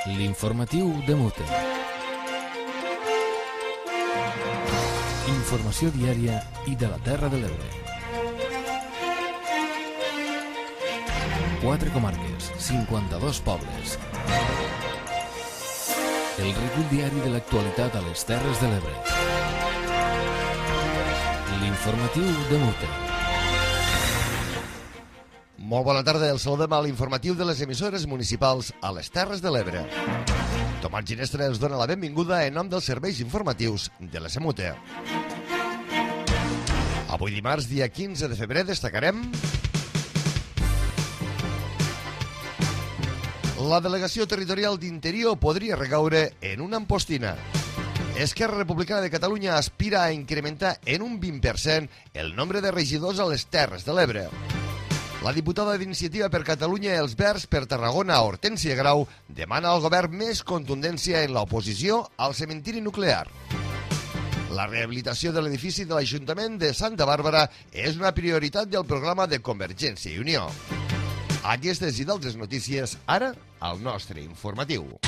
L'informatiu de Mute. Informació diària i de la Terra de l'Ebre. 4 comarques, 52 pobles. El recull diari de l'actualitat a les Terres de l'Ebre. L'informatiu de Mute. Molt bona tarda, el saludem a l'informatiu de les emissores municipals a les Terres de l'Ebre. Tomàs Ginestra els dona la benvinguda en nom dels serveis informatius de la SEMUTE. Avui dimarts, dia 15 de febrer, destacarem la delegació territorial d'Interior podria recaure en una ampostina. Esquerra Republicana de Catalunya aspira a incrementar en un 20% el nombre de regidors a les Terres de l'Ebre. La diputada d'Iniciativa per Catalunya i els Verds per Tarragona, Hortènsia Grau, demana al govern més contundència en l'oposició al cementiri nuclear. La rehabilitació de l'edifici de l'Ajuntament de Santa Bàrbara és una prioritat del programa de Convergència i Unió. Aquestes i d'altres notícies, ara, al nostre informatiu.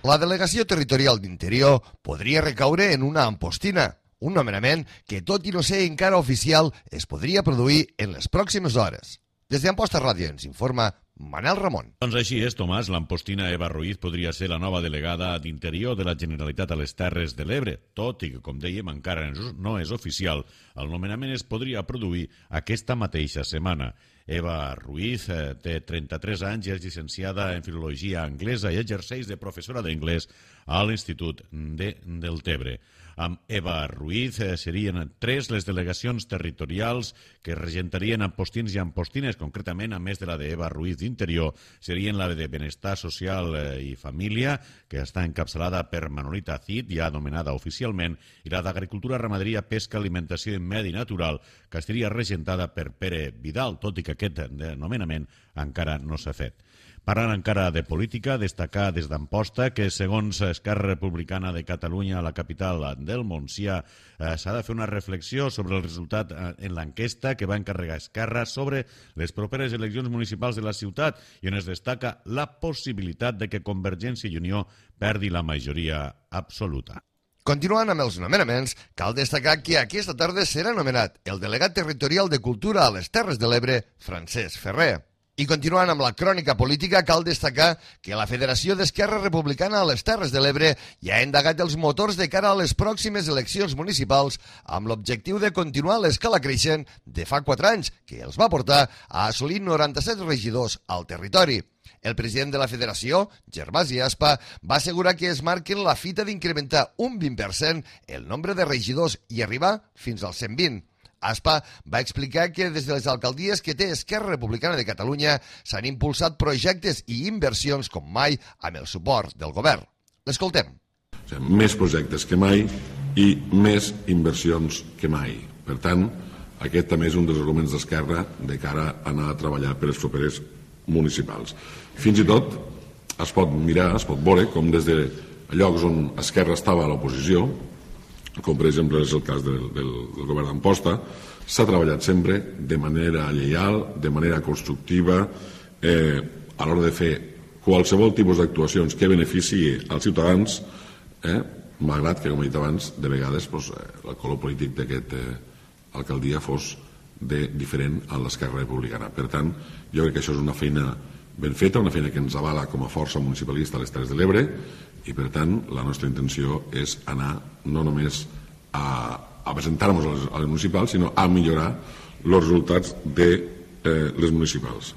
La delegació territorial d'Interior podria recaure en una ampostina, un nomenament que, tot i no ser encara oficial, es podria produir en les pròximes hores. Des d'Amposta Ràdio ens informa Manel Ramon. Doncs així és, Tomàs. L'ampostina Eva Ruiz podria ser la nova delegada d'Interior de la Generalitat a les Terres de l'Ebre, tot i que, com dèiem, encara no és oficial. El nomenament es podria produir aquesta mateixa setmana. Eva Ruiz té 33 anys i és llicenciada en Filologia Anglesa i exerceix de professora d'anglès a l'Institut de Deltebre. Amb Eva Ruiz serien 3 les delegacions territorials que regentarien ampostins i ampostines. Concretament, a més de la d'Eva Ruiz d'Interior, serien la de Benestar Social i Família, que està encapçalada per Manolita Cid, ja anomenada oficialment, i la d'Agricultura, Ramaderia, Pesca, Alimentació i Medi Natural, que estaria regentada per Pere Vidal, tot i que aquest nomenament encara no s'ha fet. Parlant encara de política, destacar des d'Amposta que, segons Esquerra Republicana de Catalunya, a la capital del Montsià, s'ha de fer una reflexió sobre el resultat en l'enquesta que va encarregar Esquerra sobre les properes eleccions municipals de la ciutat i on es destaca la possibilitat de que Convergència i Unió perdi la majoria absoluta. Continuant amb els nomenaments, cal destacar que aquesta tarda serà nomenat el delegat territorial de Cultura a les Terres de l'Ebre, Francesc Ferrer. I continuant amb la crònica política, cal destacar que la Federació d'Esquerra Republicana a les Terres de l'Ebre ja ha endegat els motors de cara a les pròximes eleccions municipals amb l'objectiu de continuar l'escala creixent de fa 4 anys, que els va portar a assolir 97 regidors al territori. El president de la federació, Gervasi Aspa, va assegurar que es marquen la fita d'incrementar un 20% el nombre de regidors i arribar fins als 120. Aspa va explicar que des de les alcaldies que té Esquerra Republicana de Catalunya s'han impulsat projectes i inversions com mai amb el suport del govern. L'escoltem. Més projectes que mai i més inversions que mai. Per tant, aquest també és un dels arguments d'Esquerra de cara a anar a treballar per les properes municipals. Fins i tot es pot mirar, es pot veure com des de llocs on Esquerra estava a l'oposició, com per exemple és el cas del govern d'Amposta, s'ha treballat sempre de manera lleial, de manera constructiva, a l'hora de fer qualsevol tipus d'actuacions que beneficiï als ciutadans, malgrat que, com he dit abans, de vegades el color polític d'aquesta alcaldia fos diferent a l'Esquerra Republicana. Per tant, jo crec que això és una feina ben feta, una feina que ens avala com a força municipalista a les Terres de l'Ebre, i per tant la nostra intenció és anar no només a presentar-nos a les municipals, sinó a millorar els resultats de les municipals.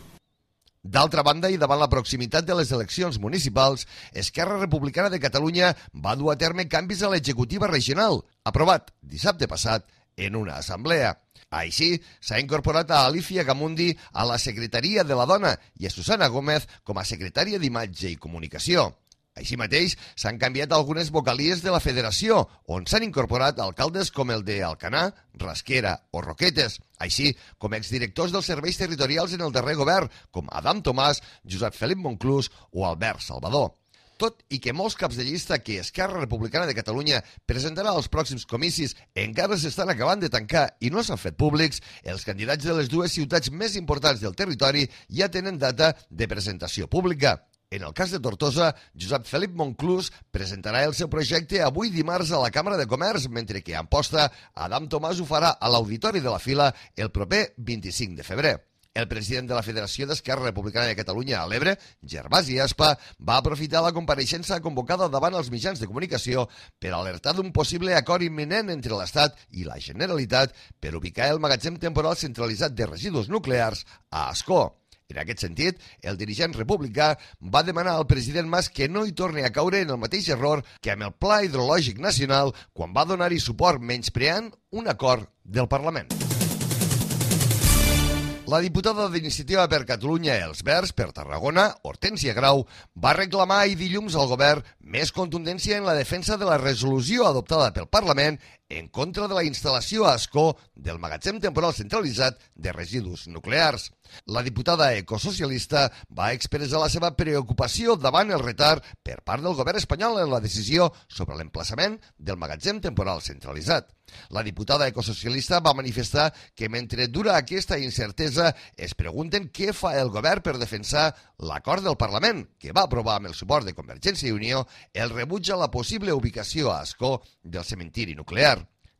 D'altra banda, i davant la proximitat de les eleccions municipals, Esquerra Republicana de Catalunya va dur a terme canvis a l'executiva regional, aprovat dissabte passat en una assemblea. Així, s'ha incorporat a Alicia Gamundi a la Secretaria de la Dona i a Susana Gómez com a secretària d'Imatge i Comunicació. Així mateix, s'han canviat algunes vocalies de la federació, on s'han incorporat alcaldes com el de Alcanar, Rasquera o Roquetes, així com exdirectors dels serveis territorials en el darrer govern, com Adam Tomàs, Josep Felip Monclús o Albert Salvador. Tot i que molts caps de llista que Esquerra Republicana de Catalunya presentarà als pròxims comicis encara s'estan acabant de tancar i no s'han fet públics, els candidats de les dues ciutats més importants del territori ja tenen data de presentació pública. En el cas de Tortosa, Josep Felip Monclús presentarà el seu projecte avui dimarts a la Càmera de Comerç, mentre que a Amposta, Adam Tomàs ho farà a l'Auditori de la Fila el proper 25 de febrer. El president de la Federació d'Esquerra Republicana de Catalunya a l'Ebre, Gervasi Aspa, va aprofitar la compareixença convocada davant els mitjans de comunicació per alertar d'un possible acord imminent entre l'Estat i la Generalitat per ubicar el magatzem temporal centralitzat de residus nuclears a Ascó. En aquest sentit, el dirigent republicà va demanar al president Mas que no hi torni a caure en el mateix error que amb el Pla Hidrològic Nacional quan va donar-hi suport menyspreant un acord del Parlament. La diputada d'Iniciativa per Catalunya Els Verds per Tarragona, Hortènsia Grau, va reclamar ahir dilluns al govern més contundència en la defensa de la resolució adoptada pel Parlament en contra de la instal·lació a Ascó del magatzem temporal centralitzat de residus nuclears. La diputada ecosocialista va expressar la seva preocupació davant el retard per part del govern espanyol en la decisió sobre l'emplaçament del magatzem temporal centralitzat. La diputada ecosocialista va manifestar que mentre dura aquesta incertesa es pregunten què fa el govern per defensar l'acord del Parlament, que va aprovar amb el suport de Convergència i Unió el rebuig a la possible ubicació a Ascó del cementiri nuclear.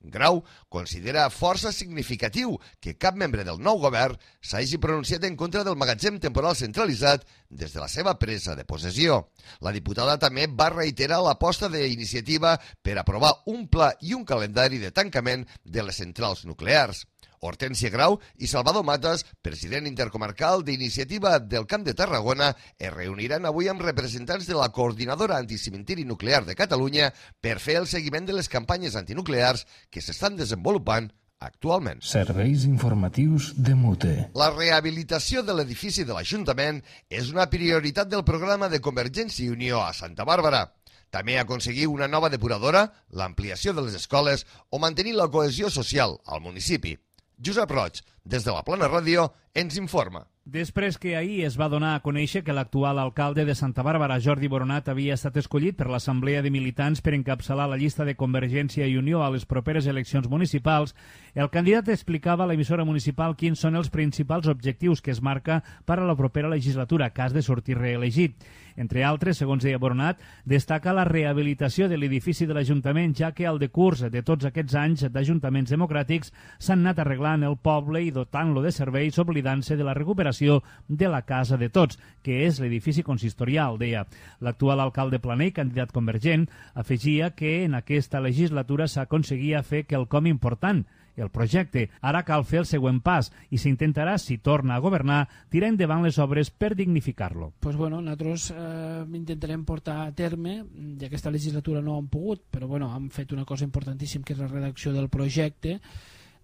Grau considera força significatiu que cap membre del nou govern s'hagi pronunciat en contra del magatzem temporal centralitzat des de la seva presa de possessió. La diputada també va reiterar l'aposta d'Iniciativa per aprovar un pla i un calendari de tancament de les centrals nuclears. Hortènsia Grau i Salvador Matas, president intercomarcal d'Iniciativa del Camp de Tarragona, es reuniran avui amb representants de la Coordinadora Anticimentiri Nuclear de Catalunya per fer el seguiment de les campanyes antinuclears que s'estan desenvolupant actualment. Serveis informatius de Mute. La rehabilitació de l'edifici de l'Ajuntament és una prioritat del programa de Convergència i Unió a Santa Bàrbara. També aconseguir una nova depuradora, l'ampliació de les escoles o mantenir la cohesió social al municipi. Josep Roig, des de la Plana Ràdio, ens informa. Després que ahir es va donar a conèixer que l'actual alcalde de Santa Bàrbara, Jordi Boronat, havia estat escollit per l'Assemblea de Militants per encapçalar la llista de Convergència i Unió a les properes eleccions municipals, el candidat explicava a l'emissora municipal quins són els principals objectius que es marca per a la propera legislatura, cas de sortir reelegit. Entre altres, segons deia Boronat, destaca la rehabilitació de l'edifici de l'Ajuntament, ja que al decurs de tots aquests anys d'ajuntaments democràtics s'han anat arreglant el poble i dotant-lo de serveis, oblidant-se de la recuperació de la casa de tots, que és l'edifici consistorial, deia. L'actual alcalde Planell, candidat convergent, afegia que en aquesta legislatura s'aconseguia fer quelcom important, el projecte. Ara cal fer el següent pas i s'intentarà, si torna a governar, tirar endavant les obres per dignificar-lo. Pues bueno, nosaltres intentarem portar a terme, ja aquesta legislatura no hem pogut, però bueno, hem fet una cosa importantíssima, que és la redacció del projecte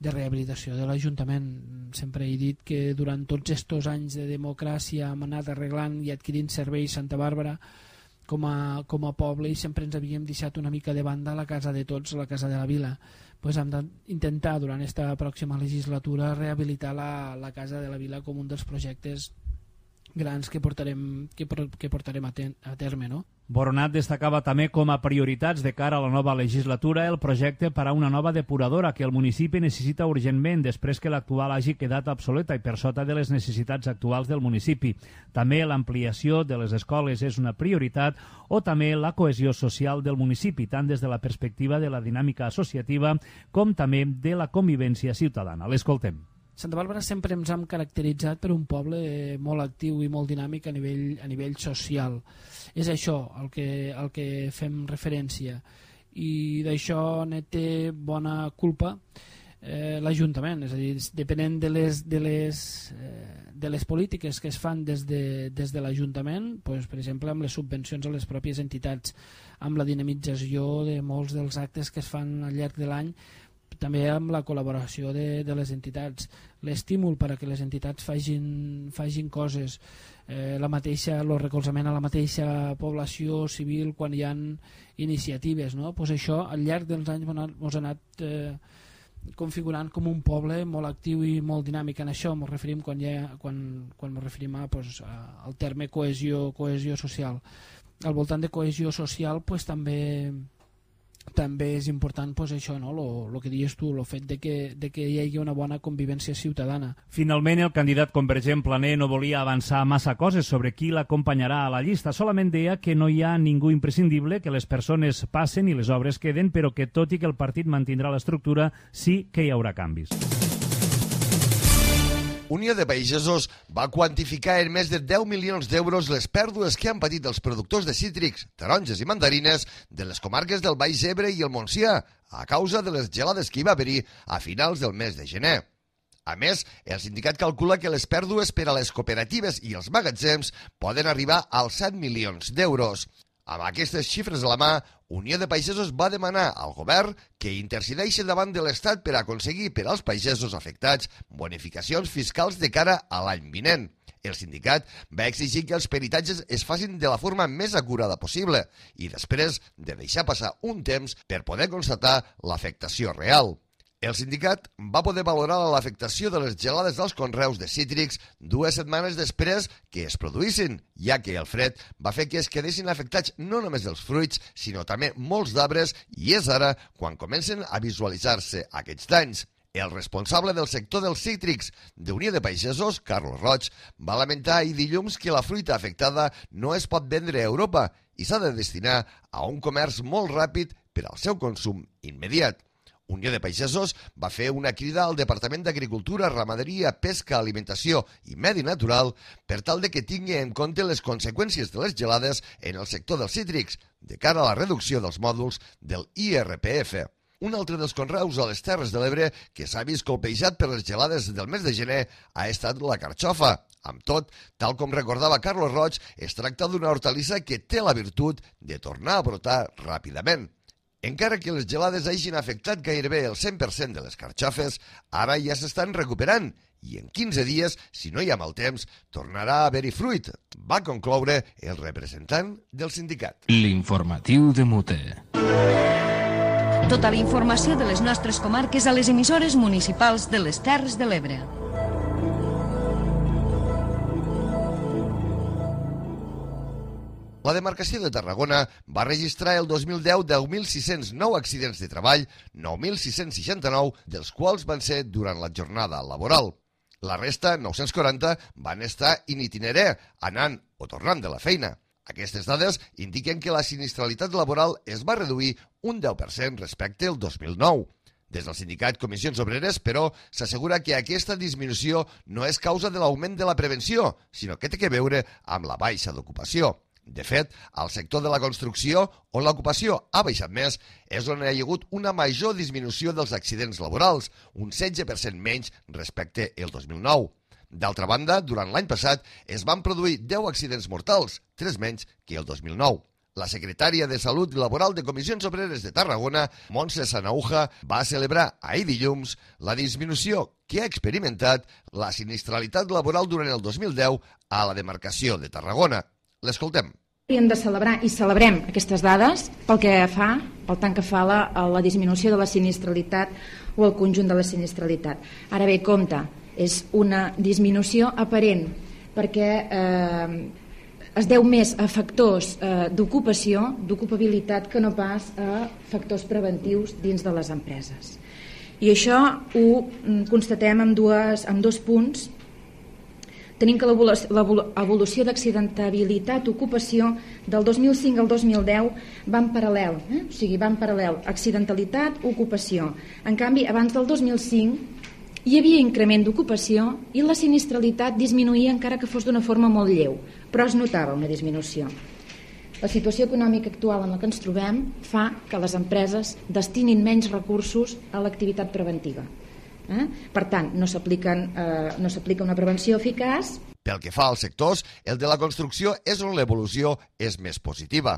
de rehabilitació de l'Ajuntament. Sempre he dit que durant tots aquests anys de democràcia hem anat arreglant i adquirint serveis Santa Bàrbara com a poble, i sempre ens havíem deixat una mica de banda la casa de tots, la casa de la vila. Pues hem d'intentar durant aquesta pròxima legislatura rehabilitar la casa de la vila com un dels projectes grans que portarem a terme, no? Boronat destacava també com a prioritats de cara a la nova legislatura el projecte per a una nova depuradora que el municipi necessita urgentment després que l'actual hagi quedat obsoleta i per sota de les necessitats actuals del municipi. També l'ampliació de les escoles és una prioritat, o també la cohesió social del municipi, tant des de la perspectiva de la dinàmica associativa com també de la convivència ciutadana. L'escoltem. Santa Bàrbara sempre ens hem caracteritzat per un poble molt actiu i molt dinàmic a nivell social. És això el que fem referència, i d'això ne té bona culpa l'Ajuntament. És a dir, depenent de les polítiques que es fan des de l'Ajuntament, doncs, per exemple amb les subvencions a les pròpies entitats, amb la dinamització de molts dels actes que es fan al llarg de l'any, també amb la col·laboració de les entitats, l'estímul per a que les entitats facin coses, el recolzament a la mateixa població civil quan hi ha iniciatives, no? Pues això al llarg dels anys ens ha anat configurant com un poble molt actiu i molt dinàmic. En això ens referim quan ens referim al terme cohesió social. al voltant de cohesió social pues, també és important pues, això, no? Lo que dius tu, el fet de que hi hagi una bona convivència ciutadana. Finalment, el candidat convergent Planer no volia avançar massa coses sobre qui l'acompanyarà a la llista. Solament deia que no hi ha ningú imprescindible, que les persones passen i les obres queden, però que tot i que el partit mantindrà l'estructura, sí que hi haurà canvis. Unió de Pagesos va quantificar en més de 10 milions d'euros les pèrdues que han patit els productors de cítrics, taronges i mandarines de les comarques del Baix Ebre i el Montsià a causa de les gelades que hi va haver-hi a finals del mes de gener. A més, el sindicat calcula que les pèrdues per a les cooperatives i els magatzems poden arribar als 7 milions d'euros. Amb aquestes xifres a la mà, Unió de Pagesos va demanar al govern que intercedeixi davant de l'Estat per aconseguir per als pagesos afectats bonificacions fiscals de cara a l'any vinent. El sindicat va exigir que els peritatges es facin de la forma més acurada possible i després de deixar passar un temps per poder constatar l'afectació real. El sindicat va poder valorar l'afectació de les gelades dels conreus de cítrics 2 setmanes després que es produïssin, ja que el fred va fer que es quedessin afectats no només els fruits, sinó també molts d'arbres, i és ara quan comencen a visualitzar-se aquests danys. El responsable del sector dels cítrics d'Unió de Pagesos, Carlos Roig, va lamentar ahir dilluns que la fruita afectada no es pot vendre a Europa i s'ha de destinar a un comerç molt ràpid per al seu consum immediat. Unió de Pagesos va fer una crida al Departament d'Agricultura, Ramaderia, Pesca, Alimentació i Medi Natural per tal de que tingui en compte les conseqüències de les gelades en el sector dels cítrics de cara a la reducció dels mòduls del IRPF. Un altre dels conreus a les Terres de l'Ebre que s'ha vist colpejat per les gelades del mes de gener ha estat la carxofa. Amb tot, tal com recordava Carlos Roig, es tracta d'una hortalissa que té la virtut de tornar a brotar ràpidament. Encara que les gelades hagin afectat gairebé el 100% de les carxofes, ara ja s'estan recuperant i en 15 dies, si no hi ha mal temps, tornarà a haver-hi fruit, va concloure el representant del sindicat. L'informatiu de Mute. Tota la informació de les nostres comarques a les emissores municipals de les Terres de l'Ebre. La demarcació de Tarragona va registrar el 2010 10.609 accidents de treball, 9.669, dels quals van ser durant la jornada laboral. La resta, 940, van estar in itinerè, anant o tornant de la feina. Aquestes dades indiquen que la sinistralitat laboral es va reduir un 10% respecte al 2009. Des del sindicat Comissions Obreres, però, s'assegura que aquesta disminució no és causa de l'augment de la prevenció, sinó que té a veure amb la baixa d'ocupació. De fet, al sector de la construcció, on l'ocupació ha baixat més, és on hi ha hagut una major disminució dels accidents laborals, un 16% menys respecte al 2009. D'altra banda, durant l'any passat es van produir 10 accidents mortals, 3 menys que el 2009. La secretària de Salut Laboral de Comissions Obreres de Tarragona, Montse Sanauja, va celebrar ahir dilluns la disminució que ha experimentat la sinistralitat laboral durant el 2010 a la demarcació de Tarragona. L'escoltem. Hem de celebrar i celebrem aquestes dades pel tant que fa la disminució de la sinistralitat o el conjunt de la sinistralitat. Ara bé, compte, és una disminució aparent perquè es deu més a factors d'ocupació, d'ocupabilitat, que no pas a factors preventius dins de les empreses. I això ho constatem amb dos punts. Tenim que l'evolució d'accidentabilitat, ocupació, del 2005 al 2010 va en paral·lel, o sigui, va en paral·lel, accidentalitat, ocupació. En canvi, abans del 2005 hi havia increment d'ocupació i la sinistralitat disminuïa encara que fos d'una forma molt lleu, però es notava una disminució. La situació econòmica actual en la que ens trobem fa que les empreses destinin menys recursos a l'activitat preventiva. Per tant, no s'aplica una prevenció eficaç. Pel que fa als sectors, el de la construcció és on l'evolució és més positiva.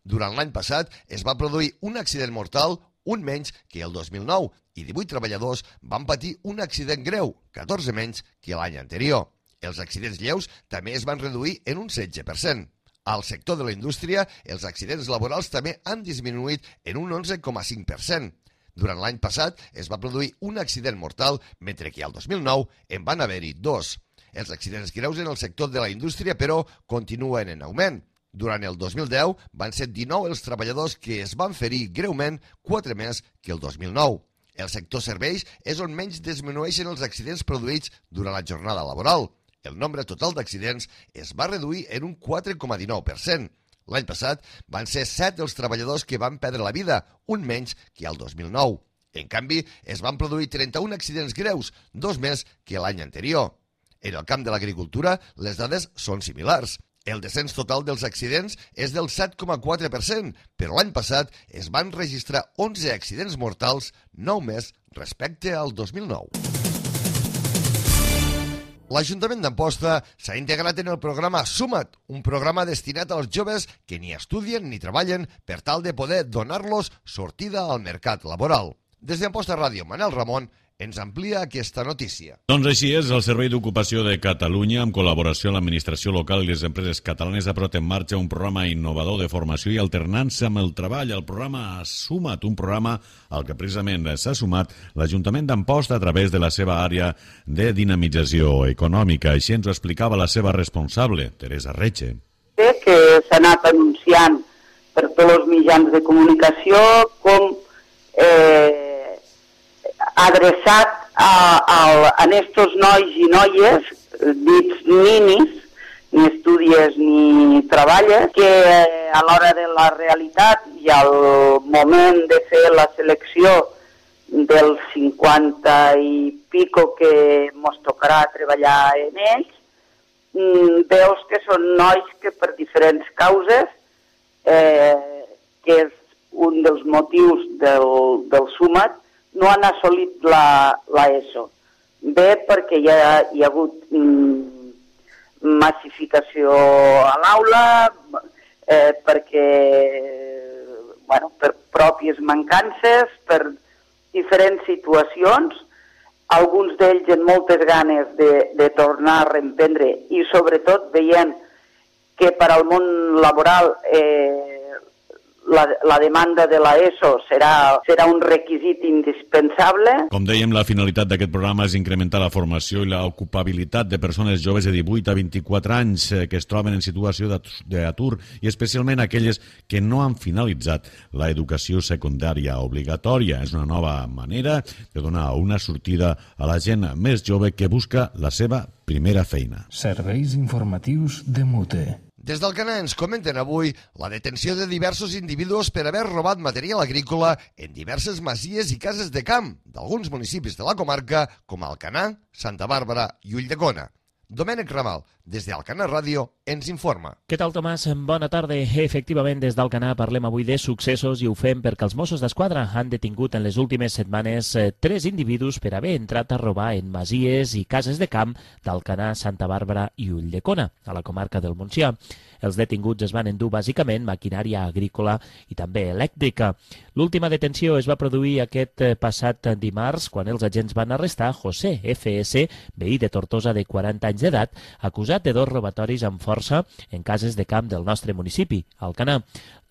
Durant l'any passat es va produir un accident mortal, un menys que el 2009, i 18 treballadors van patir un accident greu, 14 menys que l'any anterior. Els accidents lleus també es van reduir en un 16%. Al sector de la indústria, els accidents laborals també han disminuït en un 11,5%. Durant l'any passat es va produir un accident mortal, mentre que al 2009 en van haver-hi 2. Els accidents greus en el sector de la indústria, però, continuen en augment. Durant el 2010 van ser 19 els treballadors que es van ferir greument, 4 més que el 2009. El sector serveis és on menys disminueixen els accidents produïts durant la jornada laboral. El nombre total d'accidents es va reduir en un 4,19%. L'any passat van ser 7 els treballadors que van perdre la vida, un menys que el 2009. En canvi, es van produir 31 accidents greus, 2 més que l'any anterior. En el camp de l'agricultura, les dades són similars. El descens total dels accidents és del 7,4%, però l'any passat es van registrar 11 accidents mortals, 9 més respecte al 2009. L'Ajuntament d'Amposta s'ha integrat en el programa Suma't, un programa destinat als joves que ni estudien ni treballen per tal de poder donar-los sortida al mercat laboral. Des d'Amposta Ràdio, Manel Ramon ens amplia aquesta notícia. Doncs així és, el Servei d'Ocupació de Catalunya, en col·laboració amb l'administració local i les empreses catalanes, ha posat en marxa un programa innovador de formació i alternança amb el treball, el programa Suma't, un programa al que precisament s'ha sumat l'Ajuntament d'Amposta a través de la seva àrea de dinamització econòmica. Així ens ho explicava la seva responsable, Teresa Reche. Que s'ha anat anunciant per tots els mitjans de comunicació com adreçat a estos nois i noies dits ninis, ni estudies ni treballes, que a l'hora de la realitat i al moment de fer la selecció dels 50 i pico que mos tocarà treballar en ells, veus que són nois que per diferents causes, que és un dels motius del Suma't, no han assolit l'ESO. Bé, perquè hi ha hagut massificació a l'aula, perquè, per pròpies mancances, per diferents situacions, alguns d'ells amb moltes ganes de tornar a reemprendre i sobretot veient que per al món laboral la demanda de l'ESO serà un requisit indispensable. Com dèiem, la finalitat d'aquest programa és incrementar la formació i l'ocupabilitat de persones joves de 18 a 24 anys que es troben en situació d'atur i especialment aquelles que no han finalitzat l'educació secundària obligatòria. És una nova manera de donar una sortida a la gent més jove que busca la seva primera feina. Serveis informatius de Mute. Des d'Alcanar ens comenten avui la detenció de diversos individus per haver robat material agrícola en diverses masies i cases de camp d'alguns municipis de la comarca com Alcanar, Santa Bàrbara i Ulldecona. Domènec Ramal, des d'Alcanar Ràdio, ens informa. Què tal, Tomàs? Bona tarda. Efectivament, des d'Alcanar parlem avui de successos i ho fem perquè els Mossos d'Esquadra han detingut en les últimes setmanes 3 individus per haver entrat a robar en masies i cases de camp d'Alcanar, Santa Bàrbara i Ulldecona, a la comarca del Montsià. Els detinguts es van endur bàsicament maquinària agrícola i també elèctrica. L'última detenció es va produir aquest passat dimarts quan els agents van arrestar José F.S., veí de Tortosa de 40 anys d'edat, acusat de 2 robatoris amb força en cases de camp del nostre municipi, Alcanar.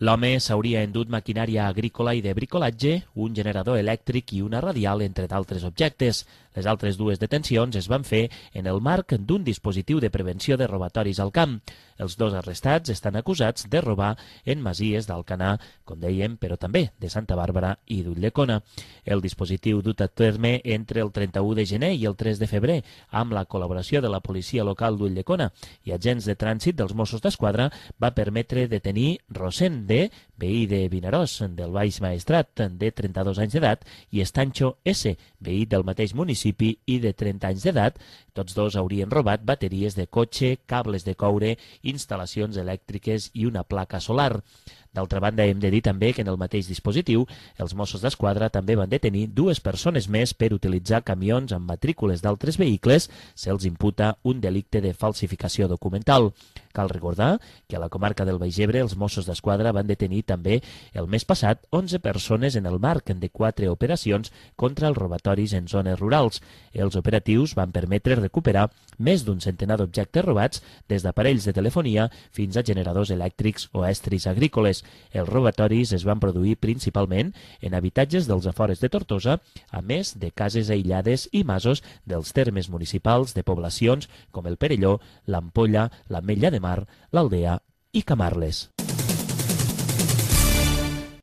L'home s'hauria endut maquinària agrícola i de bricolatge, un generador elèctric i una radial, entre d'altres objectes. Les altres 2 detencions es van fer en el marc d'un dispositiu de prevenció de robatoris al camp. Els 2 arrestats estan acusats de robar en masies d'Alcanar, com dèiem, però també de Santa Bàrbara i d'Ulldecona. El dispositiu dut a terme entre el 31 de gener i el 3 de febrer, amb la col·laboració de la policia local d'Ulldecona i agents de trànsit dels Mossos d'Esquadra, va permetre detenir Rosén D., veí de Vinaròs, del Baix Maestrat, de 32 anys d'edat, i Estancho S., veí del mateix municipi i de 30 anys d'edat. Tots 2 haurien robat bateries de cotxe, cables de coure, instal·lacions elèctriques i una placa solar. D'altra banda, hem de dir també que en el mateix dispositiu els Mossos d'Esquadra també van detenir 2 persones més per utilitzar camions amb matrícules d'altres vehicles. Se'ls imputa un delicte de falsificació documental. Cal recordar que a la comarca del Baix Ebre els Mossos d'Esquadra van detenir també el mes passat 11 persones en el marc de 4 operacions contra els robatoris en zones rurals. Els operatius van permetre recuperar més d'un centenar d'objectes robats, des d'aparells de telefonia fins a generadors elèctrics o estris agrícoles. Els robatoris es van produir principalment en habitatges dels afores de Tortosa, a més de cases aïllades i masos dels termes municipals de poblacions com el Perelló, l'Ampolla, l'Ametlla de Mar, l'Aldea i Camarles.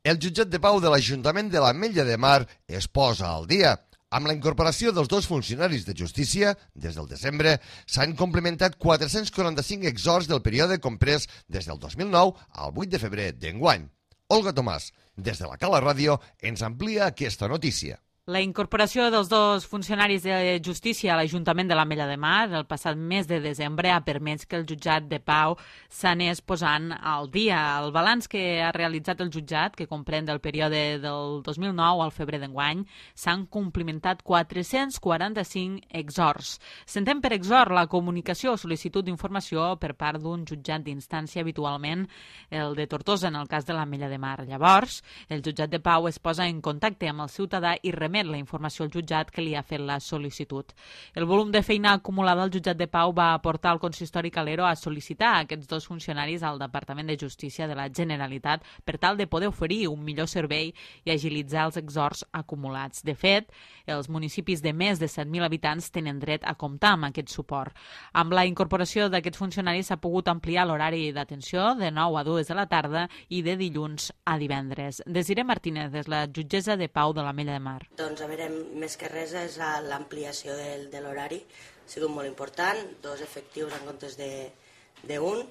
El jutjat de pau de l'Ajuntament de l'Ametlla de Mar es posa al dia. Amb la incorporació dels dos funcionaris de justícia, des del desembre, s'han complementat 445 exhorts del període comprès des del 2009 al 8 de febrer d'enguany. Olga Tomàs, des de la Cala Ràdio, ens amplia aquesta notícia. La incorporació dels dos funcionaris de justícia a l'Ajuntament de l'Ametlla de Mar el passat mes de desembre ha permès que el jutjat de pau s'anés posant al dia. El balanç que ha realitzat el jutjat, que comprèn del període del 2009 al febrer d'enguany, s'han complementat 445 exhorts. S'entén per exhort la comunicació o sol·licitud d'informació per part d'un jutjat d'instància, habitualment el de Tortosa en el cas de l'Ametlla de Mar. Llavors, el jutjat de pau es posa en contacte amb el ciutadà i remet la informació al jutjat que li ha fet la sol·licitud. El volum de feina acumulada al jutjat de pau va portar al consistori Calero a sol·licitar a aquests dos funcionaris al Departament de Justícia de la Generalitat per tal de poder oferir un millor servei i agilitzar els exhorts acumulats. De fet, els municipis de més de 7.000 habitants tenen dret a comptar amb aquest suport. Amb la incorporació d'aquests funcionaris s'ha pogut ampliar l'horari d'atenció de 9 a 2 de la tarda i de dilluns a divendres. Desiré Martínez, és la jutgessa de pau de l'Ametlla de Mar. Doncs, a veure, més que res és l'ampliació de l'horari. Ha sigut molt important, 2 efectius en comptes d'un.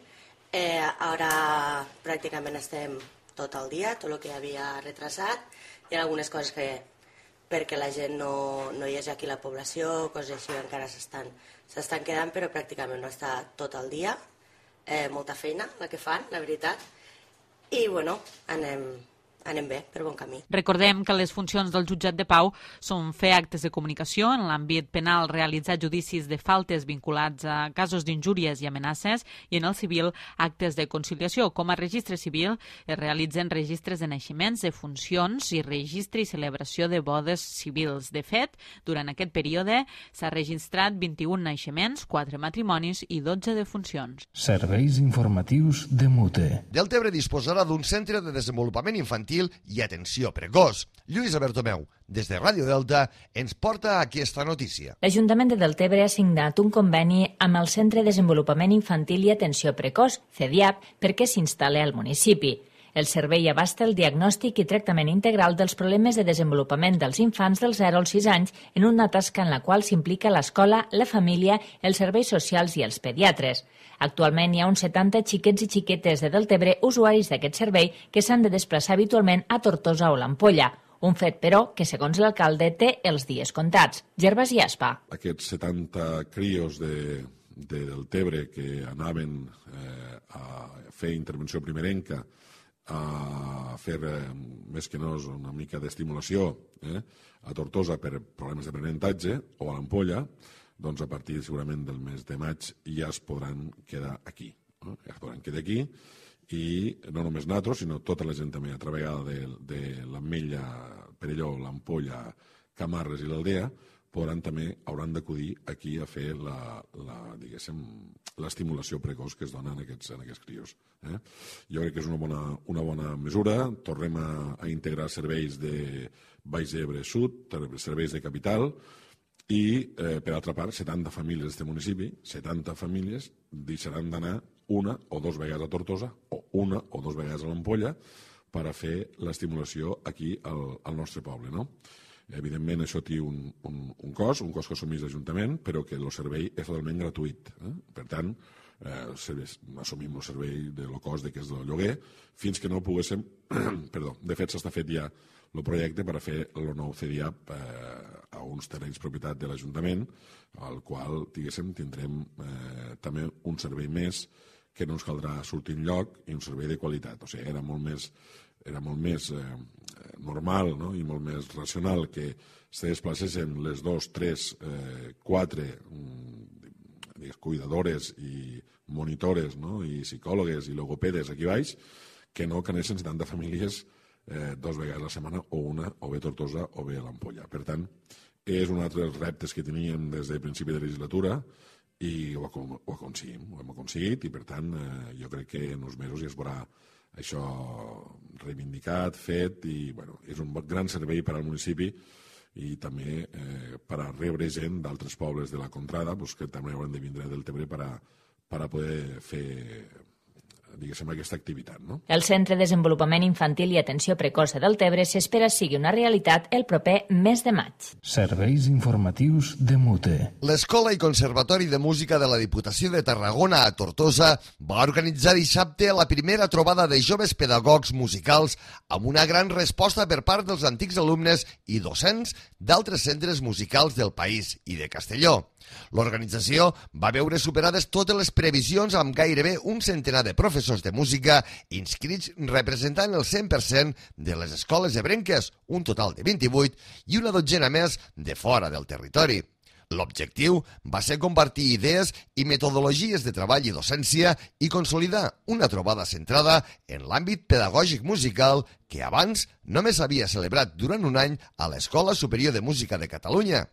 Ara pràcticament estem tot el dia, tot el que havia retrasat. Hi ha algunes coses que, perquè la gent no hi hagi aquí la població, coses així encara s'estan quedant, però pràcticament no està tot el dia. Molta feina la que fan, la veritat. I, bueno, anem bé, per bon camí. Recordem que les funcions del jutjat de pau són fer actes de comunicació en l'àmbit penal, realitzar judicis de faltes vinculats a casos d'injúries i amenaces, i en el civil actes de conciliació. Com a registre civil es realitzen registres de naixements, de funcions i registre i celebració de bodes civils. De fet, durant aquest període s'ha registrat 21 naixements, 4 matrimonis i 12 de funcions. Serveis informatius de Mute. Deltebre disposarà d'un centre de desenvolupament infantil i atenció precoç. Lluïsa Bertomeu, des de Ràdio Delta, ens porta aquesta notícia. L'Ajuntament de Deltebre ha signat un conveni amb el Centre de Desenvolupament Infantil i Atenció Precoç, CEDIAP, perquè s'instal·li al municipi. El servei abasta el diagnòstic i tractament integral dels problemes de desenvolupament dels infants dels 0 als 6 anys en una tasca en la qual s'implica l'escola, la família, els serveis socials i els pediatres. Actualment hi ha uns 70 xiquets i xiquetes de Deltebre usuaris d'aquest servei que s'han de desplaçar habitualment a Tortosa o l'Ampolla. Un fet, però, que segons l'alcalde té els dies comptats. Gervasi Aspa. Aquests 70 crios de Deltebre que anaven a fer intervenció primerenca, a fer més que no una mica d'estimulació a Tortosa per problemes d'aprenentatge o a l'Ampolla, doncs a partir segurament del mes de maig ja es podran quedar aquí. Ja es podran quedar aquí i no només nosaltres, sinó tota la gent també altra vegada de l'Ametlla, Perelló, l'Ampolla, Camarles i l'Aldea hauran d'acudir aquí a fer l'estimulació precoç que es dona en aquests crios. Jo crec que és una bona mesura. Tornem a integrar serveis de Baix Ebre Sud, serveis de capital, i, per altra part, 70 famílies d'aquest municipi, 70 famílies deixaran d'anar una o dues vegades a Tortosa o una o dues vegades a l'Ampolla per a fer l'estimulació aquí al nostre poble, no? Evidentment, això té un cost que assumeix l'Ajuntament, però que el servei és totalment gratuït. Per tant, assumim el servei del cost que és del lloguer, fins que no poguéssim... Perdó, de fet, s'està fet ja el projecte per a fer el nou CEDIAP a uns terrenys propietat de l'Ajuntament, al qual, diguéssim, tindrem també un servei més que no ens caldrà sortir enlloc i un servei de qualitat. O sigui, era molt més normal, no? I molt més racional que se desplacessin les 2, 3, 4 cuidadores i monitores, no? I psicòlogues i logopedes aquí baix, que no que anessin 70 famílies 2 vegades a la setmana o una, o bé a Tortosa o bé a l'Ampolla. Per tant, és un altre dels reptes que teníem des del principi de legislatura i ho aconseguim, ho hem aconseguit i per tant jo crec que en uns mesos ja es veurà això reivindicat, fet i bueno, és un gran servei per al municipi i també per a rebre gent d'altres pobles de la contrada que també hauran de vindre del Tebre per a poder fer diguéssim, aquesta activitat. No? El Centre de Desenvolupament Infantil i Atenció Precoç de Deltebre s'espera sigui una realitat el proper mes de maig. Serveis informatius de MUTE. L'Escola i Conservatori de Música de la Diputació de Tarragona a Tortosa va organitzar dissabte la primera trobada de joves pedagogs musicals amb una gran resposta per part dels antics alumnes i docents d'altres centres musicals del país i de Castelló. L'organització va veure superades totes les previsions amb gairebé un centenar de professors de música inscrits representant el 100% de les escoles ebrenques, un total de 28, i una dotzena més de fora del territori. L'objectiu va ser compartir idees i metodologies de treball i docència i consolidar una trobada centrada en l'àmbit pedagògic musical que abans només s'havia celebrat durant un any a l'Escola Superior de Música de Catalunya.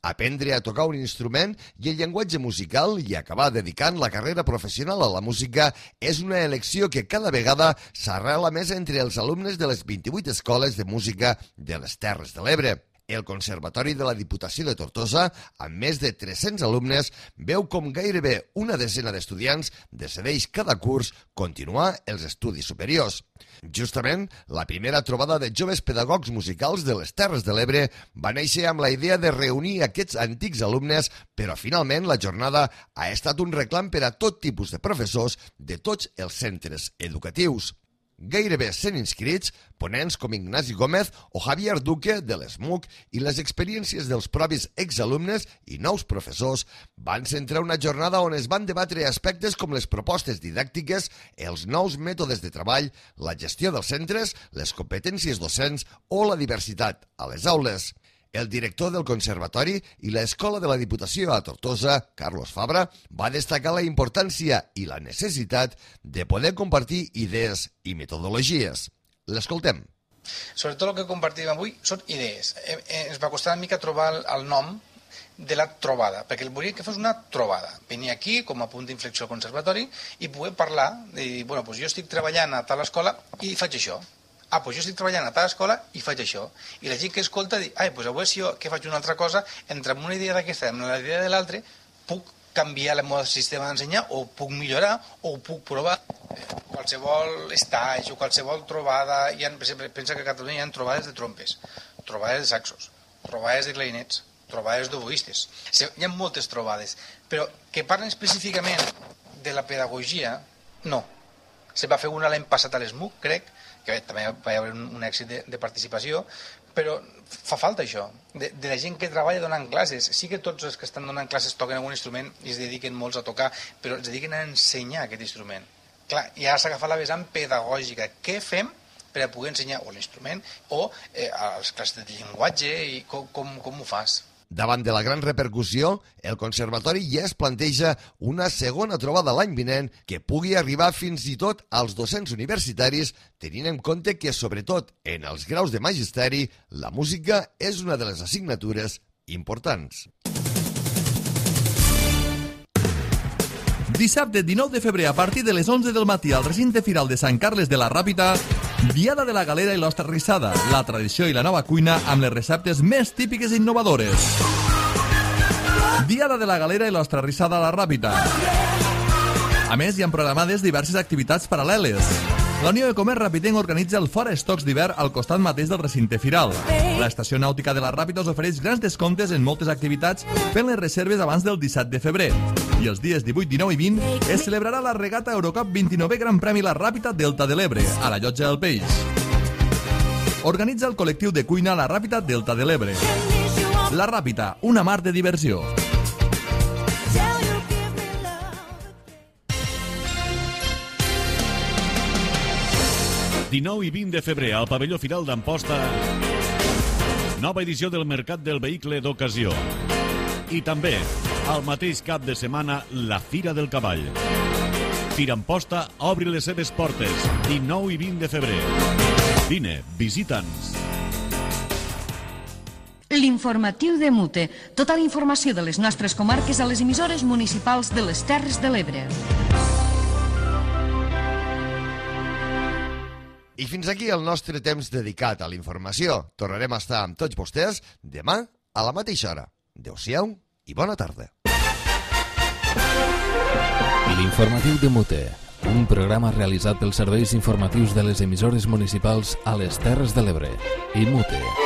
Aprendre a tocar un instrument i el llenguatge musical i acabar dedicant la carrera professional a la música és una elecció que cada vegada s'arrela més entre els alumnes de les 28 escoles de música de les Terres de l'Ebre. El Conservatori de la Diputació de Tortosa, amb més de 300 alumnes, veu com gairebé una desena d'estudiants decideix cada curs continuar els estudis superiors. Justament, la primera trobada de joves pedagogs musicals de les Terres de l'Ebre va néixer amb la idea de reunir aquests antics alumnes, però finalment la jornada ha estat un reclam per a tot tipus de professors de tots els centres educatius. Gairebé 100 inscrits, ponents com Ignasi Gómez o Javier Duque de l'ESMUC i les experiències dels propis exalumnes i nous professors van centrar una jornada on es van debatre aspectes com les propostes didàctiques, els nous mètodes de treball, la gestió dels centres, les competències docents o la diversitat a les aules. El director del Conservatori i l'Escola de la Diputació a Tortosa, Carlos Fabra, va destacar la importància i la necessitat de poder compartir idees i metodologies. L'escoltem. Sobretot el que compartim avui són idees. Ens va costar una mica trobar el nom de la trobada, perquè volia que fos una trobada. Venir aquí com a punt d'inflexió al Conservatori i poder parlar de dir, bueno, doncs jo estic treballant a tal escola i faig això. Doncs jo estic treballant a tal escola i faig això. I la gent que escolta diu, doncs avui si jo que faig una altra cosa, entre una idea d'aquesta i la idea de l'altra, puc canviar el meu sistema d'ensenyar o puc millorar o puc provar. Qualsevol estatge o qualsevol trobada, per exemple, pensa que a Catalunya hi ha trobades de trompes, trobades de saxos, trobades de clarinets, trobades d'oboistes. Hi ha moltes trobades, però que parlen específicament de la pedagogia, no. Se va fer una l'any passat a l'ESMUC, crec, que també va haver un èxit de participació, però fa falta això, de la gent que treballa donant classes. Sí que tots els que estan donant classes toquen algun instrument i es dediquen molts a tocar, però es dediquen a ensenyar aquest instrument. Clar, i ara s'ha agafat la vessant pedagògica. Què fem per a poder ensenyar o l'instrument o les classes de llenguatge i com ho fas? Davant de la gran repercussió, el Conservatori ja es planteja una segona trobada l'any vinent que pugui arribar fins i tot als docents universitaris, tenint en compte que, sobretot en els graus de magisteri, la música és una de les assignatures importants. Dissabte 19 de febrer, a partir de les 11 del matí, al recinte firal de Sant Carles de la Ràpita, Diada de la Galera i l'Ostra Rissada, la tradició i la nova cuina amb les receptes més típiques i innovadores. Diada de la Galera i l'Ostra Rissada a la Ràpita. A més, hi ha programades diverses activitats paral·leles. La Unió de Comerç Rapitenc organitza el Fora Estocs d'hivern al costat mateix del recinte firal. L'Estació Nàutica de la Ràpita us ofereix grans descomptes en moltes activitats fent les reserves abans del 17 de febrer. I els dies 18, 19 i 20 es celebrarà la regata Eurocup 29è Gran Premi La Ràpita Delta de l'Ebre, a la Llotja del Peix. Organitza el col·lectiu de cuina La Ràpita Delta de l'Ebre. La Ràpita, una mar de diversió. El 19 i 20 de febrer al pavelló Firal d'Amposta, nova edició del Mercat del Vehicle d'Ocasió. I també, al mateix cap de setmana, la Fira del Cavall. Fira Amposta obri les seves portes, 19 i 20 de febrer. Vine, visita'ns. L'informatiu de MUTE. Tota la informació de les nostres comarques a les emissores municipals de les Terres de l'Ebre. I fins aquí el nostre temps dedicat a la informació. Tornarem a estar amb tots vostès demà a la mateixa hora. Adéu-siau i bona tarda. L'informatiu de MUTE, Un programa realitzat pels serveis informatius de les emissores municipals a les Terres de l'Ebre i Mute.